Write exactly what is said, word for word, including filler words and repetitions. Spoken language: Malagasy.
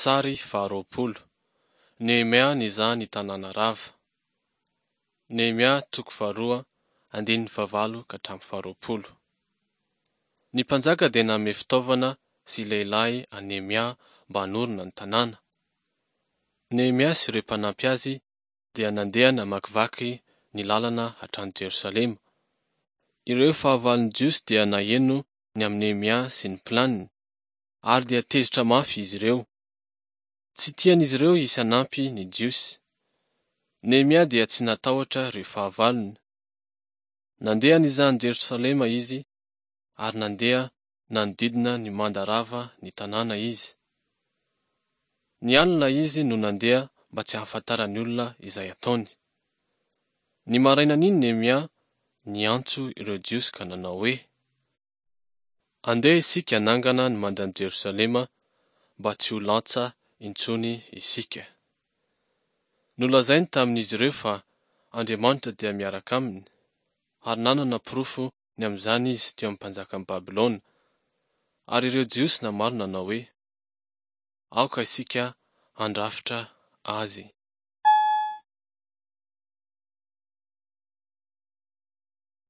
Sary faharoapolo. Nehemia nizaha ny tanàna rava. Nehemia toko faharoa andininy fahavalo ka hatramin'ny faharoapolo. Ny mpanjaka dia nanome fitaovana sy lehilahy an'i Nehemia mba hanorina ny tanàna. Nehemia sy ireo mpanampy azy dia nandeha namakivaky ny lalana hatrany Jerosalema. Ireo fahavalon'ny Jiosy dia naheno ny amin'i Nehemia sy ny planiny, ary dia tezitra mafy izy ireo. Tsy tian'izy ireo hisy hanampy ny Jiosy. Nehemia dia tsy natahotra ireo fahavalony. Nandeha nizaha an'i Jerosalema izy ary nandeha nanodidina ny manda rava ny tanàna izy. Ny alina izy no nandeha mba tsy hahafantaran'ny olona izay ataony. Ny marainan'iny Nehemia niantso ireo Jiosy ka nanao hoe: Andeha isika hanangana ny mandan'i Jerosalema mba tsy ho lantsa intsony isika. Nolazainy tamin'izy ireo fa Andriamanitra dia miaraka aminy, ary nanana porofo ny amin'izany izy teo amin'ny mpanjakan'i Babylona. Ary ireo Jiosy namaly nanao hoe: Aoka isika handrafitra azy.